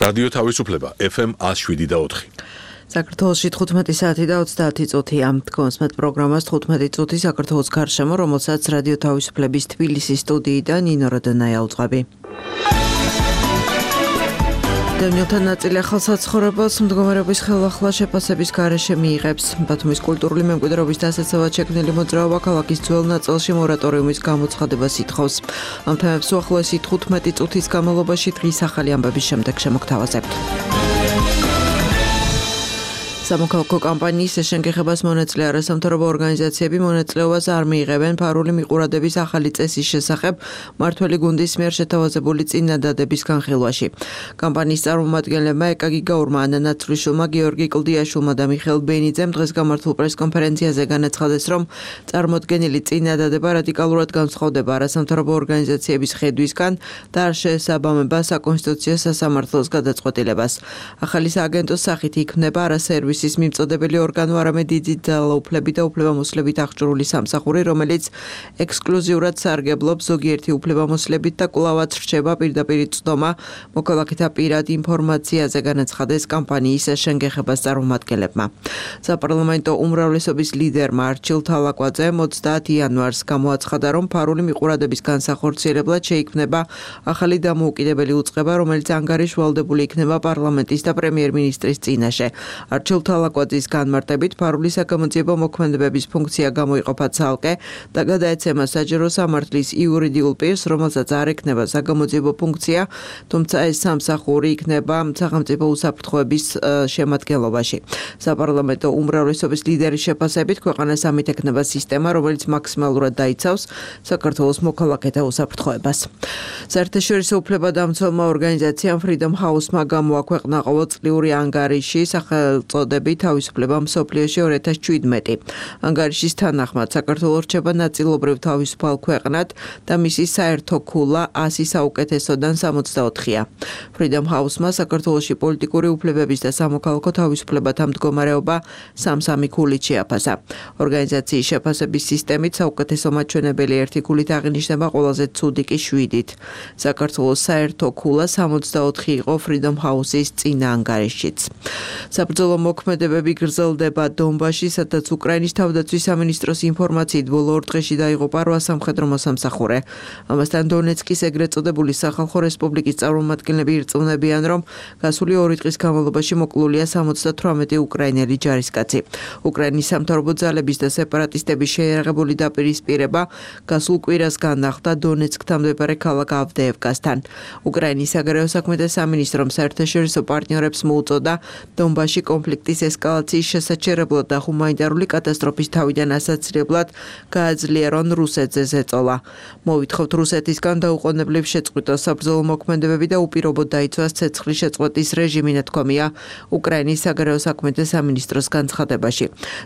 რადიო თავისუფლება FM 107.4. საქართველოში 15 საათი და 30 წუთია. თქვენს მათ პროგრამას 15 წუთი საქართველოს გარშემო, რომელსაც რადიო თავისუფლების თბილისის სტუდიიდან ნინო როდონაია უძღვები. დევნილთა ნაწილი ახალ საცხოვრებელს მდგომარეობის ხელახლა შეფასების გარეშე მიიღებს. ბათუმის კულტურული მემკვიდრეობის დასაცავად შექმნილი მოძრაობა ქალაქის ძველ ნაწილში მორატორიუმის გამოცხადებას ითხოვს. ამ თემებს უახლოესი 15 წუთის განმავლობაში დღის ახალი ამბების შემდეგ შემოგთავაზებთ. სამოქალაქო კამპანიის შეშენგეხებას მონაწილე არასამთავრობო ორგანიზაციები მონაწილეობას არ მიიღებენ ფარული მიყურადების ახალი წესის შესახებ მმართველი გუნდის მიერ შეთავაზებული წინადადების განხილვაში. კამპანიის წარმომადგენლებმა ეკა გიგაურმა, ანა ნაცვლიშვილმა, გიორგი კლდიაშვილმა და მიხეილ ბენიძემ დღეს გამართულ პრესკონფერენციაზე განაცხადეს, რომ წარმოდგენილი წინადადება რადიკალურად განსხვავდება არასამთავრობო ორგანიზაციების ხედვისგან და არ შეესაბამება საკონსტიტუციო სასამართლოს გადაწყვეტილებას. ახალი სააგენტოს სახით იქმნება არასერვისის მიმწოდებელი ორგანო, არამედ დიდი ძალაუფლებით და უფლებამოსილებით აღჭურვილი სამსახური, რომელიც ექსკლუზიურად სარგებლობს ზოგიერთი უფლებამოსილებით და კვლავაც რჩება პირდაპირ წვდომა მოქალაქეთა პირად ინფორმაციაზე, განაცხადეს კამპანიის შეშენგეხებას წარმომადგენლებმა. საპარლამენტო უმრავლესობის ლიდერმა არჩილ თალაკვაძემ 30 იანვარს გამოაცხადა, რომ ფარული მიყურადების განსახორციელებლად შეიქმნება ახალი დამოუკიდებელი უწყება, რომელიც ანგარიშვალდებული იქნება პარლამენტის და პრემიერ-მინისტრის წინაშე. არჩილ თალაკვაძის განმარტებით, ფარული საგამოძიებო მოქმედებების ფუნქცია გამოიყოფა ცალკე და გადაეცემა საჯარო სამართლის იურიდიულ პირს, რომელსაც არ ექნება საგამოძიებო ფუნქცია, თუმცა ეს სამსახური იქნება სახელმწიფო უსაფრთხოების შემადგენლობაში. საპარლამენტო უმრავლესობის ლიდერის შეფასებით, ქვეყანას ამით ექნება სისტემა, რომელიც მაქსიმალურად დაიცავს საქართველოს მოქალაქეთა უსაფრთხოებას. საერთაშორისო უფლებადამცველმა ორგანიზაციამ Freedom House-მა გამოაქვეყნა ყოველწლიური ანგარიში სახელწოდებით თავისუფლება მსოფლიოში 2017. ანგარიშის თანახმად საქართველო რჩება ნაწილობრივ თავისუფალ ქვეყნად და მისი საერთო ქულა 100 საუკეთესოდან 64-ია. Freedom House-მა საქართველოში პოლიტიკური უფლებების და სამოქალაქო თავისუფლებათა მდგომარეობა 3 ქულით შეაფასა. ორგანიზაციის შეფასების სისტემით საუკეთესო მაჩვენებელი 1 ქულით აღინიშნება, ყველაზე ცუდი კი 7-ით. საქართველოს საერთო ქულა 64 იყო Freedom House-ის წინა ანგარიშშიც. საბრძოლო მოქმედებები გრძელდება დონბასში, სადაც უკრაინის თავდაცვის სამინისტროს ინფორმაციით ბოლო 2 დღეში დაიღუპა 8 სამხედრო მოსამსახურე. ამასთან დონეცკის ეგრეთ წოდებული სახალხო რესპუბლიკის წარმომადგენლები ირწმუნებიან, რომ გასული 2 დღის განმავლობაში მოკლულია 78 უკრაინელი ჯარისკაცი. უკრაინის სამთავრობო ძალების და სეპარატისტების შეიარაღებული დაპირისპირება გასულ კვირას განახლდა დონეცკთან მდებარე ქალაქ ავდეევკასთან. უკრაინის საგარეო საქმეთა სამინისტრომ საერთაშორისო პარტნიორებს მოუწოდა დონბასში კონფლიქტის ესკალაციის შესაჩერებლად და ჰუმანიტარული კატასტროფის თავიდან ასაცილებლად გააძლიერონ რუსეთზე ზეწოლა. მოვითხოვთ რუსეთისგან დაუყოვნებლივ შეწყვიტოს საბრძოლო მოქმედებები და უპირობოდ დაიცვას ცეცხლის შეწყვეტის რეჟიმი, ნათქვამია უკრაინის საგარეო საქმეთა სამინისტროს განცხადებაში.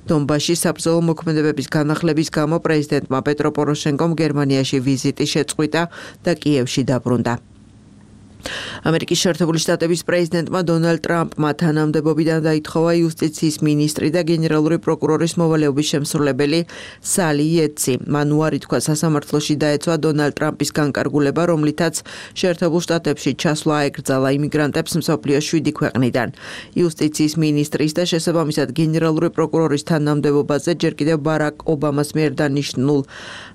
დონბასში საბრძოლო მოქმედებების განახლების გამო პრეზიდენტმა პეტრო პოროშენკომ გერმანიაში ვიზიტი შეწყვიტა და კიევში დაბრუნდა. ამერიკის შეერთებული შტატების პრეზიდენტმა დონალდ ტრამპმა თანამდებობიდან დაითხოვა იუსტიციის მინისტრი და გენერალური პროკურორის მოვალეობის შემსრულებელი სალი იეტსი. მან უარი თქვა სასამართლოში დაეცვა დონალდ ტრამპის განკარგულება, რომლითაც შეერთებულ შტატებში ჩასვლა აეკრძალა იმიგრანტებს მსოფლიოს 7 ქვეყნიდან. იუსტიციის მინისტრის და შესაბამისად გენერალური პროკურორის თანამდებობაზე ჯერ კიდევ ბარაკ ობამას მიერ დანიშნულ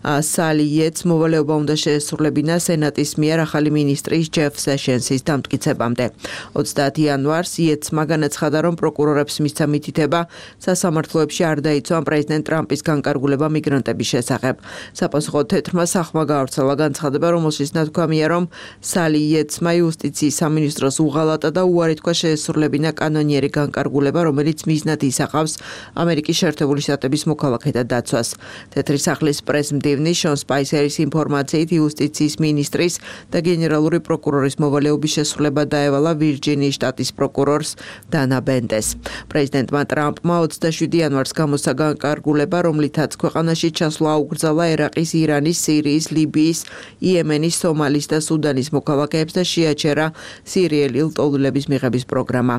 სალი იეტს მოვალეობა უნდა შეესრულებინა სენატის მიერ ახალი მინისტრის ჯეფ სეშენსის დამტკიცებამდე. 30 იანვარს იეტსმა განაცხადა, რომ პროკურორებს მისცა მითითება სასამართლოებში არ დაიცვან პრეზიდენტ ტრამპის განკარგულება მიგრანტების შესახებ. საპასუხოდ თეთრმა სახმა გაავრცელა განცხადება, რომელშიც ნათქვამია, რომ სალი იეტსმა იუსტიციის სამინისტროს უღალატა და უარი თქვა შეესრულებინა კანონიერი განკარგულება, რომელიც მიზნად ისახავს ამერიკის შეერთებული შტატების მოქალაქეთა დაცვას. თეთრი სახლის პრეს-მდივნის შონ სპაისერის ინფორმაციით იუსტიციის მინისტრის და გენერალური პროკურორის მოვალეობის შესრულება დაევალა ვირჯინიის შტატის პროკურორს დანა ბენდეს. პრეზიდენტმა ტრამპმა 27 იანვარს გამოსცა განკარგულება, რომლითაც ქვეყანაში ჩასვლა აუკრძალა ერაყის, ირანის, სირიის, ლიბიის, იემენის, სომალის და სუდანის მოქალაქეებს და შეაჩერა სირიელი ლტოლვილების მიღების პროგრამა.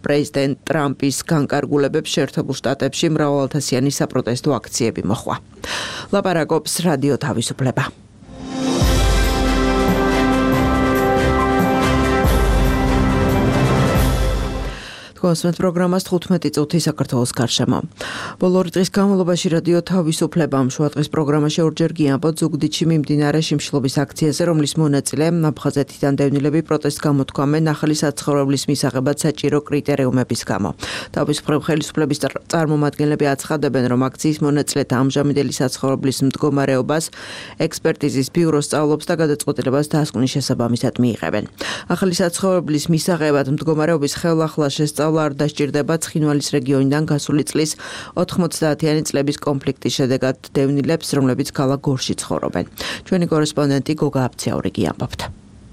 პრეზიდენტ ტრამპის განკარგულებებს შეერთებულ შტატებში მრავალათასიანი საპროტესტო აქციები მოჰყვა. ლაპარაკობს რადიო თავისუფლება. გასმენთ პროგრამას 15 წუთი საქართველოს გარშემო. ბოლო ორი დღის განმავლობაში რადიო თავისუფლებამ შუადღის პროგრამაში ორჯერ გიამბოთ ზუგდიდში მიმდინარე შიმშილობის აქციაზე, რომლის მონაწილე აფხაზეთიდან დევნილები პროტესტს გამოთქვამენ ახალი საცხოვრებლის მისაღებად საჭირო კრიტერიუმების გამო. თავისუფლებ ხელისუფლების წარმომადგენლები აცხადებენ, რომ აქციის მონაწილეთა ამჟამინდელი საცხოვრებლის მდგომარეობას ექსპერტიზის ბიურო სწავლობს და გადაწყვეტილებას დასკვნის შესაბამისად მიიღებენ. ახალი საცხოვრებლის მისაღებად მდგომარეობის ხელახლა შესწავლა არ დასჭირდება ცხინვალის რეგიონიდან გასული წლის 90-იანი წლების კონფლიქტის შედეგად დევნილებს, რომლებიც ქალაქ გორში ცხოვრობენ. ჩვენი კორესპონდენტი გოგა აფციაური გიამბობთ.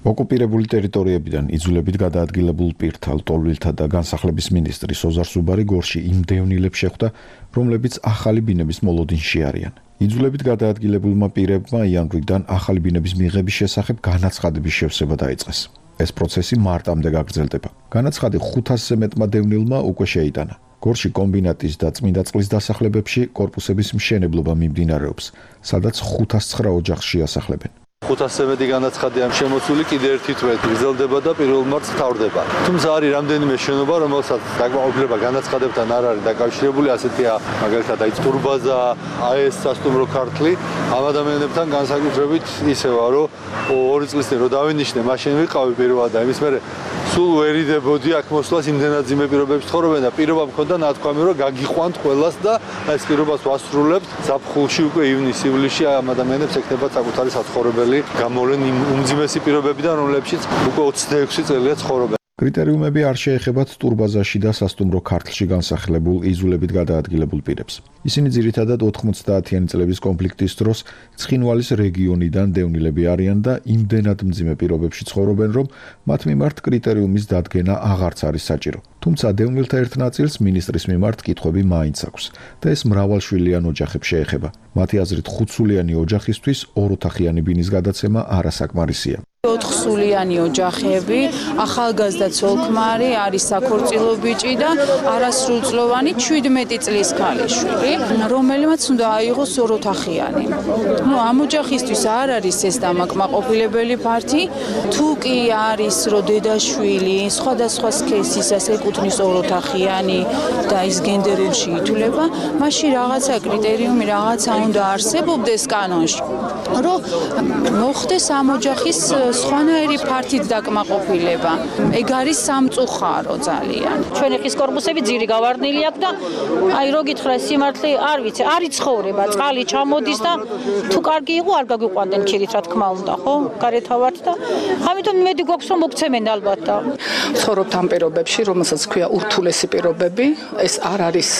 ოკუპირებული ტერიტორიებიდან იძულებით გადაადგილებულ პირთა, ლტოლვილთა და განსახლების მინისტრი სოზარ სუბარი გორში იმ დევნილებს შეხვდა, რომლებიც ახალი ბინების მოლოდინში არიან. იძულებით გადაადგილებულმა პირებმა იანვრიდან ახალი ბინების მიღების შესახებ განაცხადების შევსება დაიწყეს. ეს პროცესი მარტამდე გაგრძელდება. განაცხადი 500-ზე მეტმა დევნილმა უკვე შეიტანა. გორში კომბინატის და წმინდა წყლის დასახლებებში კორპუსების მშენებლობა მიმდინარეობს, სადაც 509 ოჯახს შეასახლებენ. 500-ზე მეტი განაცხადია შემოსული, კიდე ერთი თვე გრძელდება და პირველ მარტს თავდება. თუმცა არის რამდენიმე შენობა, რომელსაც დაკმაყოფილება განაცხადებთან არ არის დაკავშირებული, ასეთია მაგალითად ტურბაზა, AES სასტუმრო ქართლი. ამ ადამიანებთან განსაკუთრებით ისევა, რომ 2 წლის წინ რო დავინიშნე, მაშინ ვიყავი პირველად და იმის მერე სულ ვერიდებოდი აქ მოსვლას, იმდენად ძიმე პირობებში ცხოვრობენ და პირობა მქონდა ნათქვამი, რომ გაგიყვანთ ყველას და ეს პირობას ვასრულებთ. ზაფხულში უკვე ივნის-ივლისში ამ ადამიანებს ექნება საკუთარი საცხოვრებელი გამოვლენ იმ უმძიმესი პირობებიდან, რომლებშიც უკვე 26 წელია ცხოვრობენ. კრიტერიუმები არ შეეხებათ ტურბაზაში და სასტუმრო ქართლში განსახლებულ იძულებით გადაადგილებულ პირებს. ისინი ძირითადად 90-იანი წლების კონფლიქტის დროს ცხინვალის რეგიონიდან დევნილები არიან და იმდენად მძიმე პირობებში ცხოვრობენ, რომ მათ მიმართ კრიტერიუმის დადგენა აღარც არის საჭირო. თუმცა დევნილთა ერთ ნაწილს მინისტრის მიმართ კითხვები მაინც აქვს და ეს მრავალშვილიან ოჯახებს შეეხება. მათი აზრით 5-სულიანი ოჯახისთვის 2 ოთახიანი ბინის გადაცემა არასაკმარისია. 4 სულიანი ოჯახები, ახალგაზრდა ცოლ-ქმარი, არის საქორწილო ბიჭი და არასრულწლოვანი 17 წლის ქალიშვილი, რომელმაც უნდა აიღოს 2 ოთახიანი. ამ ოჯახისთვის არ არის ეს დამაკმაყოფილებელი ფაქტი, თუ კი არის რომ დედაშვილი სხვადასხვა სქესისას ეკუთვნის 2 ოთახიანი და ის გენდერებში ითვლება, მაშინ რაღაცა კრიტერიუმი რაღაცა უნდა არსებობდეს კანონში, რომ მოხდეს ამ ოჯახის სხვანაირი ფართით დაკმაყოფილება. ეგ არის სამწუხარო ძალიან. ჩვენი ხის კორპუსები ძირი გავარდნილი აქვს და აი რო გითხრა სიმართლე არ ვიცი, არ იცხოვრება, წყალი ჩამოდის და თუ კარგი იყო არ გაგვიყვანდნენ ქირით, რა თქმა უნდა, ხო? გარეთა ვართ და ამიტომ იმედი გვაქვს რომ მოგცემენ ალბათ და ცხოვრობთ ამ პირობებში, რომელსაც ქვია ურთულესი პირობები, ეს არ არის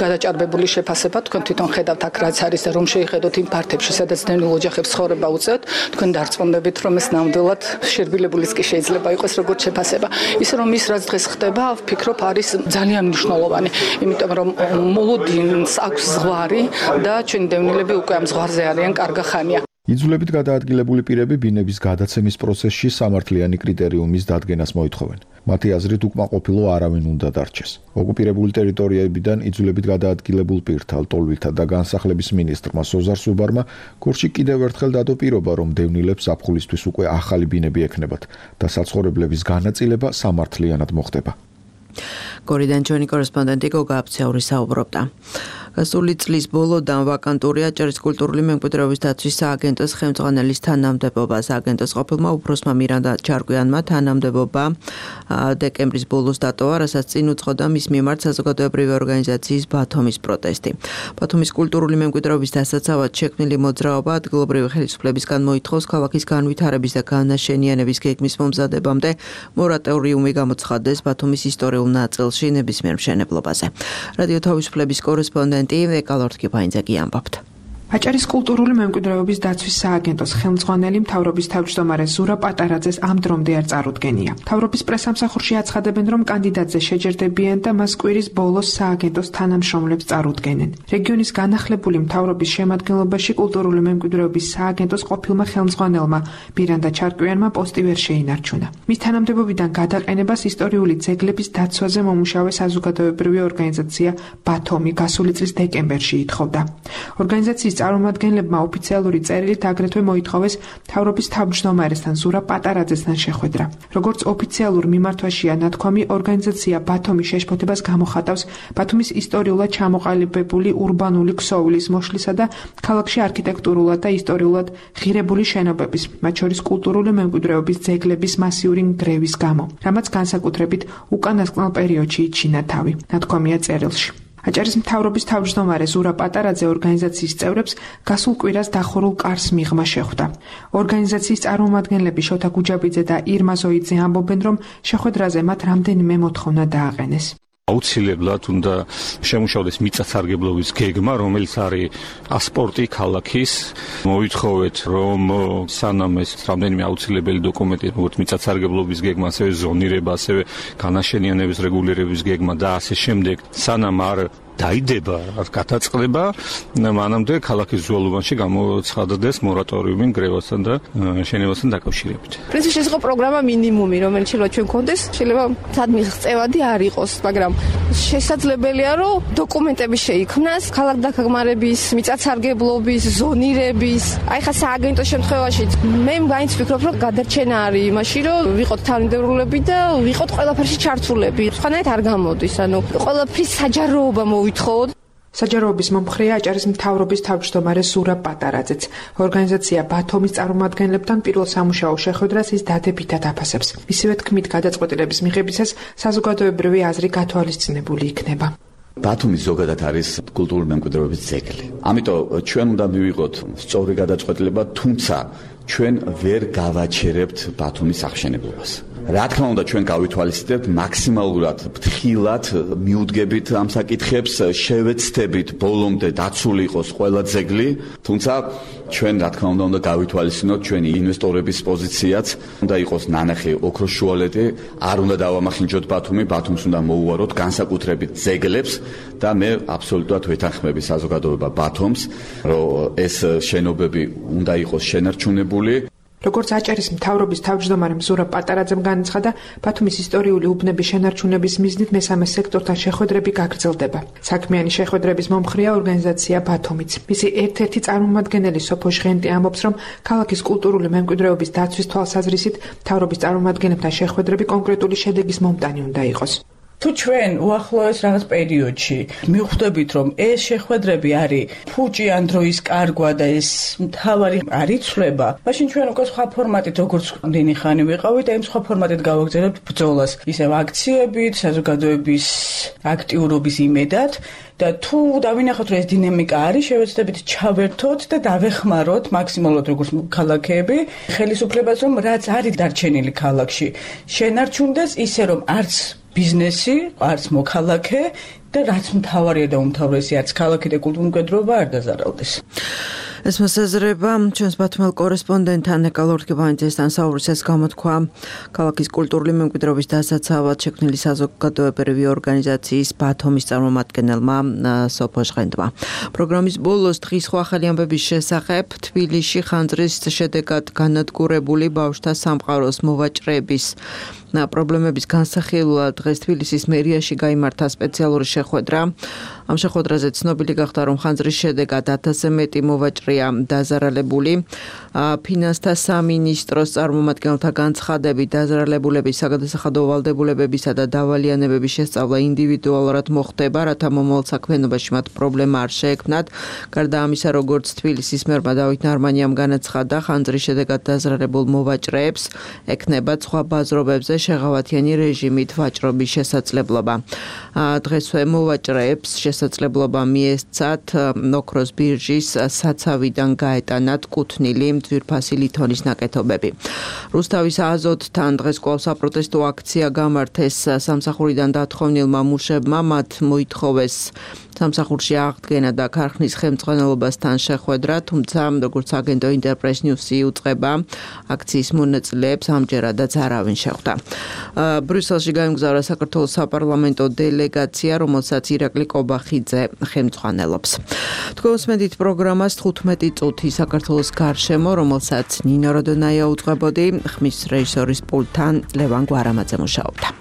გადაჭარბებული შეფასება, თქვენ თვითონ ხედავთ აქ რაც არის და რომ შეიხედოთ იმ ფართებში, სადაც დევნილ ოჯახებს ცხოვრება უწევთ, თქვენ დარწმუნდებით რომ ეს ნამდვილად შერბილებულის კი შეიძლება იყოს როგორც შეფასება. ისე რომ ის რაც დღეს ხდება, ვფიქრობ არის ძალიან მნიშვნელოვანი, იმიტომ რომ მოლოდინს აქვს ზღვარი და ჩვენი დევნილები უკვე ამ ზღვარზე არიან კარგა ხანია. იძულებით გადაადგილებული პირები ბინების გადაცემის პროცესში სამართლიანი კრიტერიუმის დადგენას მოითხოვენ. მათი აზრით უკმაყოფილო არავინ უნდა დარჩეს. ოკუპირებული ტერიტორიებიდან იძულებით გადაადგილებულ პირთა, ლტოლვილთა და განსახლების მინისტრმა სოზარ სუბარმა გორში კიდევ ერთხელ დადო პირობა, რომ დევნილებს ზაფხულისთვის უკვე ახალი ბინები ექნებათ და საცხოვრებლების განაწილება სამართლიანად მოხდება. გორიდან ჩვენი კორესპონდენტი გოგა აფციაური საუბრობდა. გასული წლის ბოლოდან ვაკანტურია ჭერის კულტურული მემკვიდრეობის დაცვის სააგენტოს ხელმძღვანელის თანამდებობა. სააგენტოს ყოფილმა უფროსმა მირანდა ჩარკვიანმა თანამდებობა დეკემბრის ბოლოს დატოვა, რასაც წინ უძღოდა მის მიმართ საზოგადოებრივი ორგანიზაციის ბათუმის პროტესტი. ბათუმის კულტურული მემკვიდრეობის დასაცავად შექმნილი მოძრაობა ადგილობრივი ხელისუფლებისგან მოითხოვს ქალაქის განვითარების და განაშენიანების გეგმის მომზადებამდე მორატორიუმი გამოცხადდეს ბათუმის ისტორიულ ნაწილში ნებისმიერ მშენებლობაზე. რადიო თავისუფლების კორესპონდენტი ეკალორთკიფაინძე გიამბობთ. აჭარის კულტურული მემკვიდრეობის დაცვის სააგენტოს ხელმძღვანელი მთავრობის თავმჯდომარე ზურა პატარაძეს ამ დრომდე არ წარუდგენია. მთავრობის პრესამსახურში აცხადებენ, რომ კანდიდატზე შეჯერდებიან და მას კვირის ბოლოს სააგენტოს თანამშრომლებს წარუდგენენ. რეგიონის განახლებული მთავრობის შემადგენლობაში კულტურული მემკვიდრეობის სააგენტოს ყოფილმა ხელმძღვანელმა მირანდა ჩარკვიანმა პოსტი ვერ შეინარჩუნა. მის თანამდებობიდან გადაყენებას ისტორიული ძეგლების დაცვაზე მომუშავე საზოგადოებრივი ორგანიზაცია ბათომი გასული წლის დეკემბერში ითხოვდა. ორგანიზაციის წარმომადგენლებმა ოფიციალური წერილით აგრეთვე მოითხოვეს მთავრობის თავმჯდომარესთან ზურაბ პატარაძესთან შეხვედრა. Როგორც ოფიციალურ მიმართვაშია ნათქვამი, ორგანიზაცია ბათუმის შეშფოთებას გამოხატავს ბათუმის ისტორიულად ჩამოყალიბებული ურბანული ქსოვილის მოშლისა და ქალაქში არქიტექტურულად და ისტორიულად ღირებული შენობების, მათ შორის კულტურული მემკვიდრეობის ძეგლების მასიური ნგრევის გამო, რამაც განსაკუთრებით უკანასკნელ პერიოდში იჩინა თავი. ნათქვამია წერილში. აჭარის მთავრობის თავმჯდომარე ზურაბ პატარაძე ორგანიზაციის წევრებს გასულ კვირას დახურულ კარს მიღმა შეხვდა. ორგანიზაციის წარმომადგენლები შოთა გუჯაბიძე და ირმა ზოიძე ამბობენ, რომ შეხვედრაზე მათ რამდენიმე მოთხოვნა დააყენეს. აუცილებლად უნდა შემუშავდეს მიწათსარგებლობის გეგმა, რომელიც არის პასპორტი ქალაქის. მოითხოვეთ, რომ სანამ ეს რამდენიმე აუცილებელი დოკუმენტი, როგორც მიწათსარგებლობის გეგმა, ასევე ზონირება, ასევე განაშენიანების რეგულირების გეგმა და ასე შემდეგ, სანამ არ დაიდება, არ გათაწყდება, მანამდე ქალაქის ზუალუბანში გამოცხადდეს მორატორიუმი ნგრევასთან და შენობასთან დაკავშირებით. პრინციპში ეს იყო პროგრამა მინიმუმი, რომელიც შეიძლება ჩვენ გქონდეს, შეიძლება სად მიღწევადი არ იყოს, მაგრამ შესაძლებელია, რომ დოკუმენტები შეიქმნას, ქალაქდაგეგმარების, მიწათსარგებლობის, ზონირების, აი ხა სააგენტოს შემთხვევაში მე მაინც ვფიქრობ, რომ გადარჩენა არის იმაში, რომ ვიყოთ თანამდებობები და ვიყოთ ყველაფერში ჩართულები. სხვანაირად არ გამოდის, ანუ ყველაფრის საჯაროობა საჯაროობის მომხრეა აჭარის მთავრობის თავმჯდომარე ზურაბ პატარაძეც. ორგანიზაცია ბათუმის წარმომადგენლებთან პირველ სამუშაო შეხვედრას ის დადებითად აფასებს. მისივე თქმით, გადაწყვეტილების მიღებისას საზოგადოებრივი აზრი გათვალისწინებული იქნება. ბათუმი ზოგადად არის კულტურული მემკვიდრეობის ძეგლი. ამიტომ ჩვენ უნდა მივიღოთ სწორი გადაწყვეტილება, თუმცა ჩვენ ვერ გავაჩერებთ ბათუმის აღშენებობას. რა თქმა უნდა, ჩვენ გავითვალისწინებთ მაქსიმალურად ფრთხილად, მიუდგებით ამ საკითხებს, შევეცდებით ბოლომდე დაცული იყოს ყველა ძეგლი, თუმცა ჩვენ რა თქმა უნდა გავითვალისწინოთ ჩვენი ინვესტორების პოზიციაც, უნდა იყოს ნანახი ოქროს შუალედი, არ უნდა დავამახინჯოთ ბათუმი, ბათუმს უნდა მოუვაროთ განსაკუთრებით ძეგლებს და მე აბსოლუტურად ვეთანხმები საზოგადოება ბათუმს, რომ ეს შენობები უნდა იყოს შენარჩუნებული. როგორც აჭარის მთავრობის თავმჯდომარე ზურაბ პატარაძემ განაცხადა, ბათუმის ისტორიული უბნების შენარჩუნების მიზნით მესამე სექტორთან შეხვედრები გაგრძელდება. საქმიანი შეხვედრების მომხრეა ორგანიზაცია ბათუმიც. მისი ერთ-ერთი წარმომადგენელი სოფო ჟღენტი ამბობს, რომ ქალაქის კულტურული მემკვიდრეობის დაცვის თვალსაზრისით მთავრობის წარმომადგენლებთან შეხვედრები კონკრეტული შედეგის მომტანი უნდა იყოს. თუ ჩვენ უახლოეს რაღაც პერიოდში მივხვდებით, რომ ეს შეხვედრები არის ფუჭიან დროის კარგვა და ეს მთავარი არ იცვლება, მაშინ ჩვენ უკვე სხვა ფორმატით, როგორც ამდენი ხანი ვიყავით, ამ სხვა ფორმატით გავაგრძელებთ ბრძოლას, ისევ აქციებით, საზოგადოების აქტიურობის იმედად. და თუ დავინახოთ, რომ ეს დინამიკა არის, შევეცდებით ჩავერთოთ და დავეხმაროთ მაქსიმალურად როგორც ქალაქები, ხელისუფლებას, რომ რაც არის დარჩენილი ქალაქში, შენარჩუნდეს ისე, რომ არც ბიზნესი, არც მოქალაქე და რაც მთავარია და უმთავრესი არც ქალაქი და კულტურული მემკვიდრეობა არ დაზარალდეს. ეს მოსაზრება ჩვენს ბათუმელ კორესპონდენტ ანეკა ლორთგებანიძესთან საუბრისას გამოთქვა ქალაქის კულტურული მემკვიდრეობის დასაცავად შექმნილი საზოგადოებრივი ორგანიზაციის ბათუმის წარმომადგენელმა სოფო ჟღენტმა. პროგრამის ბოლოს დღის სხვა ახალი ამბების შესახებ თბილისში ხანძრის შედეგად განადგურებული ბავშვთა სამყაროს მოვაჭრეების პრობლემების განსახილველად დღეს თბილისის მერიაში გაიმართა სპეციალური შეხვედრა. ამ შეხვედრაზე ცნობილი გახდა, რომ ხანძრის შედეგად 1000-ზე მეტი მოვაჭრეა დაზარალებული. ფინანსთა სამინისტროს წარმომადგენელთა განცხადებით დაზარალებულების საგადასახადო ვალდებულებებისა და დავალიანებების შესწავლა ინდივიდუალურად მოხდება, რათა მომავალ საქმიანობაში მათ პრობლემა არ შეექმნათ. გარდა ამისა, როგორც თბილისის მერმა დავით ნარმანიამ განაცხადა, ხანძრის შედეგად დაზარალებულ მოვაჭრეებს ექნებათ სხვა ბაზრობებზე შეღავათიანი რეჟიმით ვაჭრობის შესაძლებლობა. დღესვე მოვაჭრეებს შესაძლებლობა მიესცათ ნოქროს ბირჟის საცავიდან გაეტანათ კუთვნილი ძვირფასი ლითონის ნაკეთობები. რუსთავის აზოტთან დღეს კვლავ საპროტესტო აქცია გამართეს სამსახურიდან დათხოვნილმა მუშებმა, მათ მოითხოვეს სამსახურში აღდგენა და ქარხნის ხელმძღვანელობასთან შეხვედრა, თუმცა როგორც აგენტო ინტერპრეს ნიუსი უწყება, აქციის მონაწილეებს ამჯერადაც არავინ შეხვდა. ბრიუსელში გაემგზავრა საქართველოს საპარლამენტო დელეგაცია, რომელსაც ირაკლი კობახიძე ხელმძღვანელობს. თქვენ უსმენთ პროგრამას 15 წუთი საქართველოს გარშემო, რომელსაც ნინო როდონაია უწყებოდი, ხმის რეჟისორის პულტთან ლევან გვარამაძე მუშაობდა.